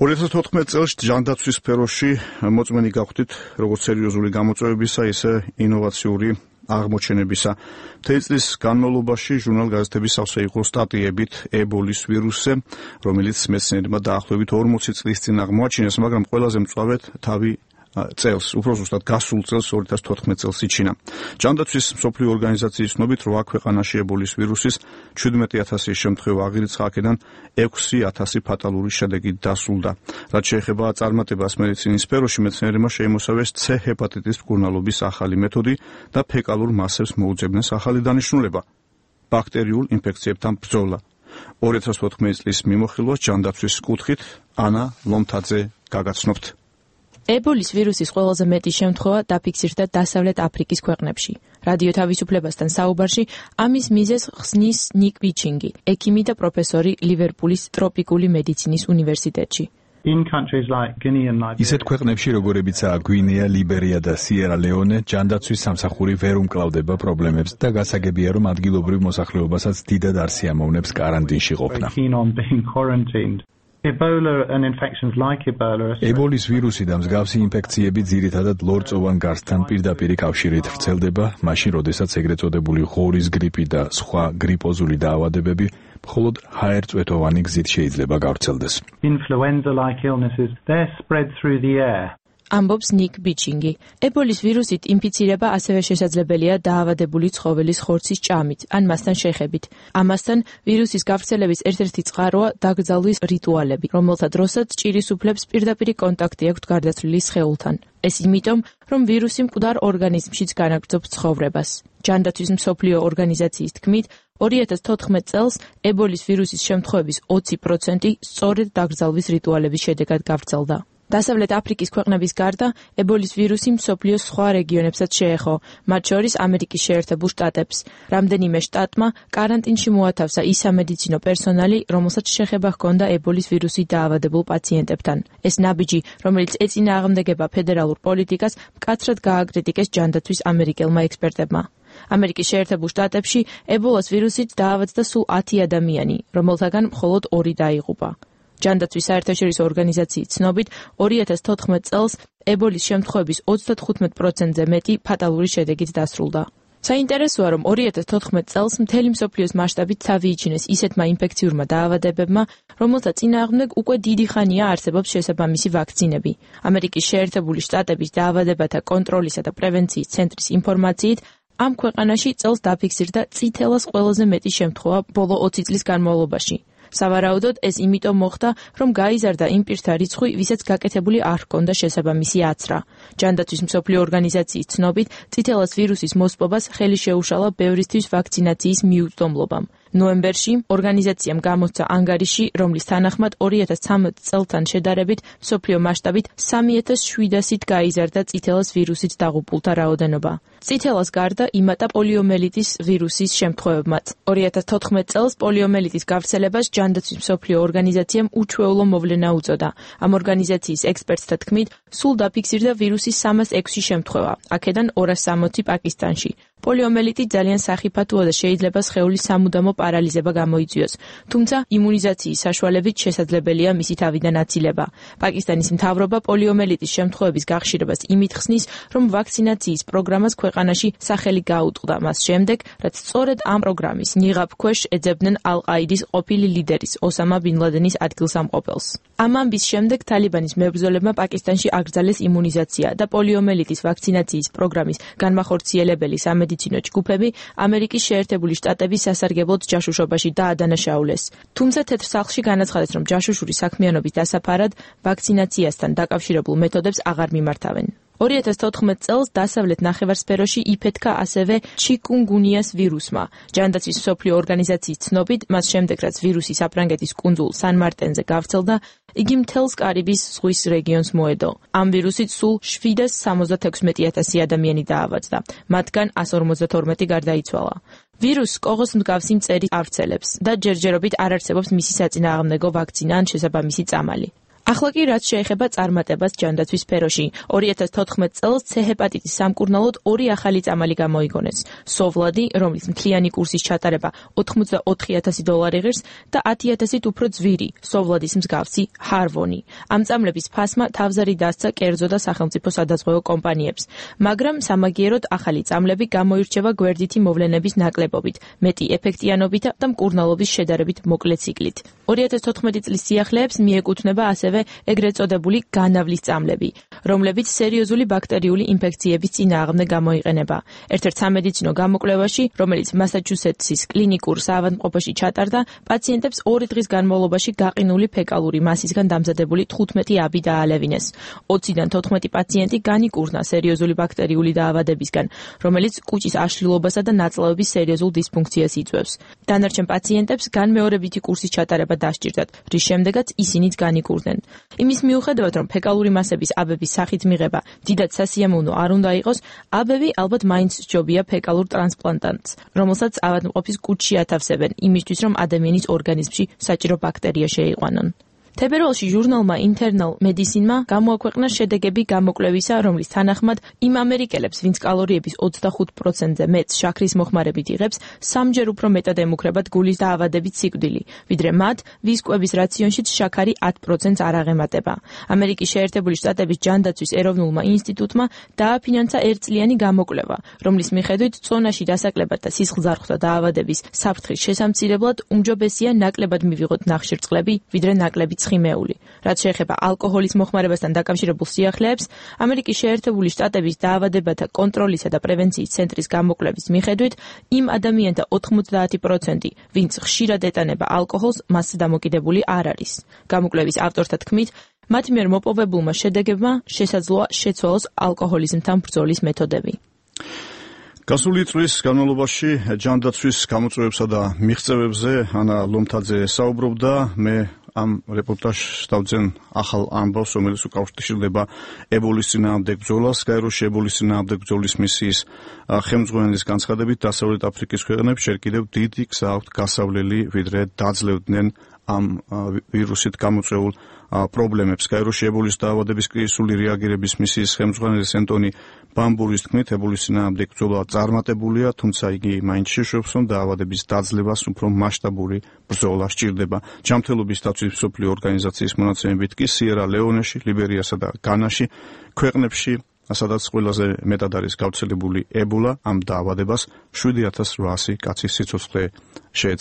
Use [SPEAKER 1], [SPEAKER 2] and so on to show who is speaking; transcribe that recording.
[SPEAKER 1] 2014 წელს ჯანდაცვის სფეროში მოწმენი გავხდით როგორც სერიოზული გამოწვევებისა, ისე ინოვაციური აღმოჩენებისა. მთელი წლის განმავლობაში ჟურნალ-გაზეთების სავსე იყო სტატიებით ებოლის ვირუსზე, რომელიც მეცნიერებმა დაახლოებით 40 წლის წინ აღმოაჩინეს, მაგრამ ყველაზე მწვავედ თავი წელს, უფრო ზუსტად გასულ წელს 2014 წელს იჩინა. ჯანდაცვის მსოფლიო ორგანიზაციის ცნობით 8 ქვეყანაში ებოლის ვირუსის 17,000 შემთხვევა აღირიცხა, აქედან 6,000 ფატალური შედეგით დასრულდა. რაც შეეხება წარმატებას მედიცინის სფეროში, მეცნიერებმა შეიმოსავეს C ჰეპატიტის მკურნალობის ახალი მეთოდი და ფეკალურ მასებს მოუძებნეს ახალი დანიშნულება ბაქტერიულ ინფექციებთან ბრძოლა. 2014 წლის მიმოხილვას ჯანდაცვის კუთხით ანა ლომთაძე გაგაცნობთ.
[SPEAKER 2] ებოლის ვირუსის ყველაზე მეტი შემთხვევა დაფიქსირდა დასავლეთ აფრიკის ქვეყნებში. რადიო თავისუფლებასთან საუბარში ამის მიზეზს ხსნის ნიკ ბიჩინგი, ექიმი და პროფესორი ლივერპულის ტროპიკული მედიცინის უნივერსიტეტში.
[SPEAKER 3] ისეთ ქვეყნებში, როგორებიცაა გვინეა, ლიბერია და სიერა ლეონე, ჯანდაცვის სამსახური ვერ უმკლავდება პრობლემებს და გასაგებია, რომ ადგილობრივ მოსახლეობასაც დიდად არ სიამოვნებს კარანტინში ყოფნა. ებოლის ვირუსი და მსგავსი ინფექციები ძირითადად ლორწოვან გარსთან პირდაპირი კავშირით ვრცელდება, მაშინ როდესაც ეგრეთ წოდებული ღორის გრიპი და სხვა გრიპოზული დაავადებები მხოლოდ ჰაერწვეთოვანი გზით შეიძლება გავრცელდეს.
[SPEAKER 2] ამბობს ნიკ ბიჩინგი. ებოლის ვირუსით ინფიცირება ასევე შესაძლებელია დაავადებული ცხოველის ხორცის ჭამით ან მასთან შეხებით. ამასთან ვირუსის გავრცელების ერთ-ერთი წყაროა დაკრძალვის რიტუალები, რომელთა დროსაც ჭირის უფლებს პირდაპირი კონტაქტი აქვთ გარდაცვლილი სხეულთან. ეს იმიტომ, რომ ვირუსი მკვდარ ორგანიზმშიც განაგრძობს ცხოვრებას. ჯანდაცვის მსოფლიო ორგანიზაციის თქმით, 2014 წელს ებოლის ვირუსის შემთხვევების 20% სწორედ დაკრძალვის რიტუალების შედეგად გავრცელდა. დასავლეთ აფრიკის ქვეყნების გარდა ებოლის ვირუსი მსოფლიოს სხვა რეგიონებსაც შეეხო, მათ შორის ამერიკის შეერთებულ შტატებს. რამდენიმე შტატმა კარანტინში მოათავსა ის სამედიცინო პერსონალი, რომელსაც შეხება ჰქონდა ებოლის ვირუსით დაავადებულ პაციენტებთან. ეს ნაბიჯი, რომელიც ეწინააღმდეგება ფედერალურ პოლიტიკას, მკაცრად გააკრიტიკეს ჯანდაცვის ამერიკელმა ექსპერტებმა. ამერიკის შეერთებულ შტატებში ებოლას ვირუსით დაავადდა სულ 10 ადამიანი, რომელთაგან მხოლოდ 2 დაიღუპა. ჯანდაცვის საერთაშორისო ორგანიზაციის ცნობით 2014 წელს ებოლის შემთხვევების 35%-ზე მეტი ფატალური შედეგით დასრულდა. საინტერესოა, რომ 2014 წელს მთელი მსოფლიოს მასშტაბით თავი იჩინეს ისეთმა ინფექციურმა დაავადებებმა, რომელთა წინააღმდეგ უკვე დიდი ხანია არსებობს შესაბამისი ვაქცინები. ამერიკის შეერთებული შტატების დაავადებათა კონტროლისა და პრევენციის ცენტრის ინფორმაციით, ამ ქვეყანაში წელს დაფიქსირდა წითელას ყველაზე მეტი შემთხვევა ბოლო 20 წლის განმავლობაში. სავარაუდოდ ეს იმიტომ მოხდა, რომ გაიზარდა იმ პირთა რიცხვი, ვისაც გაკეთებული არ ჰქონდა შესაბამისი აცრა. ჯანდაცვის მსოფლიო ორგანიზაციის ცნობით, წითელას ვირუსის მოსპობას ხელი შეუშალა ბევრისთვის ვაქცინაციის მიუწვდომლობამ. ნოემბერში ორგანიზაციამ გამოსცა ანგარიში, რომლის თანახმად 2013 წელთან შედარებით მსოფლიო მასშტაბით 3700-ით გაიზარდა წითელას ვირუსით დაღუპულთა რაოდენობა. წითელას გარდა იმატა პოლიომელიტის ვირუსის შემთხვევებმაც. 2014 წელს პოლიომელიტის გავრცელებას ჯანდაცვის მსოფლიო ორგანიზაციამ უჩვეულო მოვლენა უწოდა. ამ ორგანიზაციის ექსპერტთა თქმით, სულ დაფიქსირდა ვირუსის 306 შემთხვევა, აქედან 260 პაკისტანში. პოლიომელიტი ძალიან სახიფათოა და შეიძლება სხეულის სამუდამო პარალიზება გამოიწვიოს, თუმცა იმუნიზაციის საშუალებით შესაძლებელია მისი თავიდან აცილება. პაკისტანის მთავრობა პოლიომელიტის შემთხვევების გახშირებას იმით ხსნის, რომ ვაქცინაციის პროგრამას ქვეყანაში სახელი გაუტყდა მას შემდეგ, რაც სწორედ ამ პროგრამის ნიღაბ ქვეშ ეძებდნენ ალ-ყაიდის ყოფილი ლიდერის ოსამა ბინ ლადენის ადგილსამყოფელს. ამ ამბის შემდეგ თალიბანის მებრძოლებმა პაკისტანში აკრძალეს იმუნიზაცია და პოლიომელიტის ვაქცინაციის პროგრამის განმახორციელებელი სამედიცინო ჯგუფები ამერიკის შეერთებული შტატების სასარგებლოდ ჯაშუშობაში დაადანაშაულეს. თუმცა თეთრ სახლში განაცხადეს, რომ ჯაშუშური საქმიანობის დასაფარად ვაქცინაციასთან დაკავშირებულ მეთოდებს აღარ მიმართავენ. 2014 წელს დასავლეთ ნახევარსფეროში იფეთქა ასევე ჩიკუნგუნიას ვირუსმა. ჯანდაცვის მსოფლიო ორგანიზაციის ცნობით, მას შემდეგ რაც ვირუსი საფრანგეთის კუნძულ სან-მარტენზე გავრცელდა, იგი მთელს კარიბის ზღვის რეგიონს მოედო. ამ ვირუსით სულ 776,000 ადამიანი დაავადდა, მათგან 152 გარდაიცვალა. ვირუსს კოღოს მსგავსი მწერი ავრცელებს და ჯერჯერობით არ არსებობს მისი საწინააღმდეგო ვაქცინა ან შესაბამისი წამალი. ახლა კი რაც შეეხება წარმატებას ჯანდაცვის სფეროში. 2014 წელს C ჰეპატიტის სამკურნალოდ 2 ახალი წამალი გამოიგონეს. სოვლადი, რომლის მთლიანი კურსის ჩატარება $84,000 ღირს და 10,000-ით უფრო ძვირი, სოვლადის მსგავსი ჰარვონი. ამ წამლების ფასმა თავზარი დასცა კერძო და სახელმწიფო სადაზღვევო კომპანიებს, მაგრამ სამაგიეროდ ახალი წამლები გამოირჩევა გვერდითი მოვლენების ნაკლებობით, მეტი ეფექტიანობით და მკურნალობის შედარებით მოკლე ციკლით. 2014 წლის სიახლეებს მიეკუთვნება ასევე ეგრეთ წოდებული განავლის წამლები, რომლებიც სერიოზული ბაქტერიული ინფექციების წინააღმდეგ გამოიყენება. ერთ-ერთ სამედიცინო გამოკვლევაში, რომელიც მასაჩუსეტსის კლინიკურ საავადმყოფოში ჩატარდა, პაციენტებს 2 დღის განმავლობაში გაყინული ფეკალური მასისგან დამზადებული 15 აბი დაალევინეს. 20-დან 14 პაციენტი განიკურნა სერიოზული ბაქტერიული დაავადებისგან, რომელიც კუჭის აშლილობასა და ნაწლავების სერიოზულ დისფუნქციას იწვევს. დანარჩენ პაციენტებს განმეორებითი კურსის ჩატარება დასჭირდათ, რის შემდეგაც ისინიც განიკურნენ. იმის მიუხედავად, რომ ფეკალური მასების აბების სახით მიღება დიდად სასიამოვნო არ უნდა იყოს, აბები ალბათ მაინც სჯობია ფეკალურ ტრანსპლანტანტს, რომელსაც ავადმყოფის კუჭში ათავსებენ, იმისთვის რომ ადამიანის ორგანიზმში საჭირო ბაქტერია შეიყვანონ. თებერვალში ჟურნალმა Internal Medicine-მა გამოაქვეყნა შედეგები გამოკვლევისა, რომლის თანახმად იმ ამერიკელებს, ვინც კალორიების 25%-ზე მეტს შაქრის მოხმარებით იღებს, 3-ჯერ უფრო მეტად ემუქრებათ გულის დაავადებით სიკვდილი, ვიდრე მათ, ვის კვების რაციონშიც შაქარი 10%-ს არ აღემატება. ამერიკის შეერთებული შტატების ჯანდაცვის ეროვნულმა ინსტიტუტმა დააფინანსა 1-წლიანი გამოკვლევა, რომლის მიხედვით წონაში დასაკლებად და სისხლძარღვთა დაავადების საფრთხის შესამცირებლად უმჯობესია ნაკლებად მივიღოთ ნახშირწყლები, ვიდრე ნაკლები ცხიმეული. რაც შეეხება ალკოჰოლის მოხმარებასთან დაკავშირებულ სიახლეებს, ამერიკის შეერთებული შტატების დაავადებათა კონტროლისა და პრევენციის ცენტრის გამოკვლევის მიხედვით, იმ ადამიანთა 90%, ვინც ხშირად ეტანება ალკოჰოლს, მასზე დამოკიდებული არ არის. გამოკვლევის ავტორთა თქმით, მათ მიერ მოპოვებულმა შედეგებმა შესაძლოა შეცვალოს ალკოჰოლიზმთან ბრძოლის მეთოდები.
[SPEAKER 1] გასული წლის განმავლობაში ჯანდაცვის გამოწვევებსა და მიღწევებზე ანა ლომთაძე საუბრობდა. მე ამ რეპორტაჟს დავძენ ახალ ამბავს, რომელიც უკავშირდება ებოლის წინააღმდეგ ბრძოლას. კაიროში ებოლის წინააღმდეგ ბრძოლის მისიის ხელმძღვანელის განცხადებით, დასავლეთ აფრიკის ქვეყნებს ჯერ კიდევ დიდი გზა აქვთ გასავლელი, ვიდრე დაძლევდნენ ამ ვირუსით გამოწვეულ პრობლემებს. კაიროში ებოლის დაავადების კრიზისული რეაგირების მისიის ხელმძღვანელის ენტონი ბამბურის თქმით, ებოლის წინააღმდეგ ბრძოლა წარმატებულია, თუმცა იგი მაინც შეშვებს, რომ დაავადების დაძლევას უფრო მასშტაბური ბრძოლა სჭირდება. ჯანმრთელობის დაცვის მსოფლიო ორგანიზაციის მონაცემებით კი სიერა ლეონეში, ლიბერიასა და განაში ქვეყნებში, სადაც ყველაზე მეტად არის გავრცელებული ებოლა, ამ დაავადებას 7,800 კაცის სიცოცხლე შეეცვალა.